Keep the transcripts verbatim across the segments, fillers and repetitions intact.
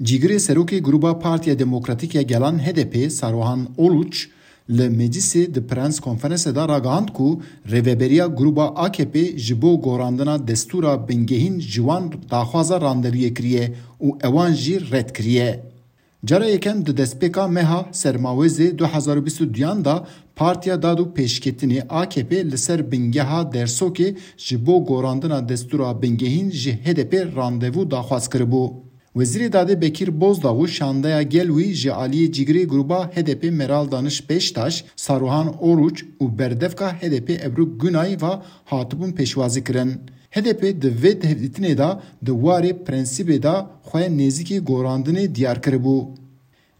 Cîgirê serokê Gruba Partiya Demokratîk ya Gelan H D P Saruhan Oluç li meclisê di prens konferanse de ragihand ku rêveberiya Gruba A K P ji bo gorandina destûra bingehîn ji wan daxwaza randeviyê kiriye û ewan jî red kiriye. Cara yekem di destpêka meha Sermawêzê du hezar û bîst û duyan de Partiya Dad û Pêşketinê A K P li ser bingeha Dersokê ji bo gorandina destûra bingehîn ji H D P randevû daxwaz kiribû. Wezîrê Dadê Bekîr Bozdağ û şandeya gel wî ji aliyê cîgirê Gruba H D P Meral Daniş Beştaş, Saruhan Oruç û berdevka H D P Ebru Günay ve hatibûn pêşwazî kirin. H D P di vê hevdîtinê de di warê prensîbê de xwe nêzîkî gorandinê diyar kiribû.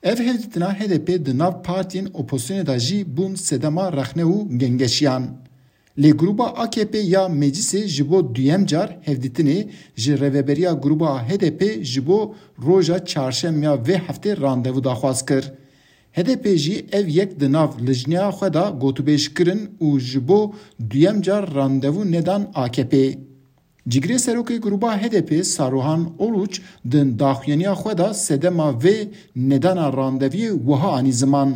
Ev hevdîtina H D P di nav partiyên opozisyonê de jî bûn sedema rexne û gengeşiyan. Lê Gruba A K P ya Meclisê ji bo duyem car hevdîtinê ji rêveberiya Gruba H D P ji bo roja çarşemya vê heftê randevu daxwaz kir. H D P jî ev yek di nav lijneya xwe de gotûbêj kirin û ji bo duyem car randevu nedan A K P. Cîgirê serokê Gruba H D P Saruhan Oluç di daxuyaniya xwe de sedema vê nedana randeviyê wiha anî ziman.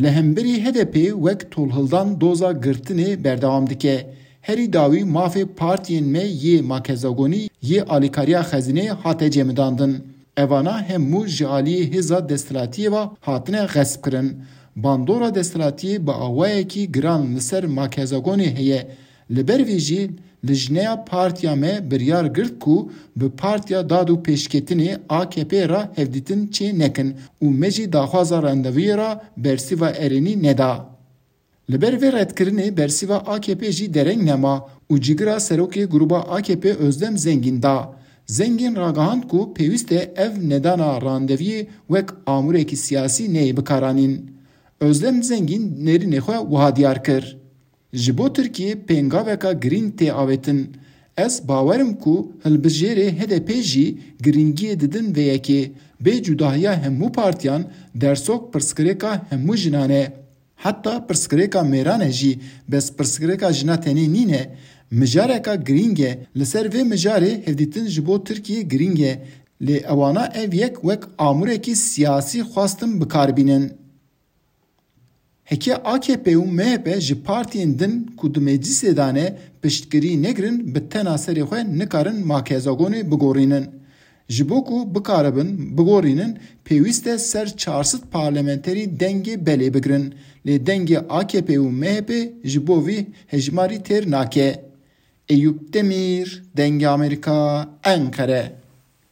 Li hemberî H D P wek tolhildan doza girtinê berdewam dike. Herî dawî mafê partiyên me yê makezagonî yê alîkariya xezînê hate cemidandin. Evana hemû ji aliyê hêza desthilatiyê ve hatine xesp kirin. Bandora desthilatiyê bi awayekî giran li ser makezagonê heye. Li ber vê jî lijneya partiya me biryar girt ku bi Partiya Dad û Pêşketinê A K P re hevdîtin çê nekin û me jî daxwaza randevuyê re bersîva erênî neda. Li ber vê redkirinê bersîva A K P jî dereng nema û cîgira serokê Gruba A K P Özlem Zengîn da. Zengîn ragihand ku pêwîst e ev nedana randeviyê wek amûrekî siyasî neyê bikaranîn. Özlem Zengîn nêrînê xwe wiha diyar kir. Ji bo Tirkiyê pêngaveka girîng tê avêtin. Ez bawer im ku hilbijêrê H D P jî girîngiyê didin vê yekê. Bê cudahiya hemû partiyan, Dersok pirsgirêka hemû jinan e. Heta pirsgirêka mêran e jî, bes pirsgirêka jina tenê nîne. Mijareka girîng e. Li ser vê mijarê hevdîtin ji bo Tirkiyê girîng e. Lê ewana ev yek wek amûrekî siyasî xwestin bi kar bînin. Heke A K P û M H P ji partiyên din ku di meclisê de ne piştgirî negirin, bi tena serê xwe nikarin makezagonê bigorînin. Ji bo ku bikaribin bigorînin, pêwîst e ser çar sed parlamenterî dengê belê bigirin. Lê dengê A K P û M H P ji bo vî hejmarî têr nake. Eyûp Demîr, Dengê Amerîka, Enqere.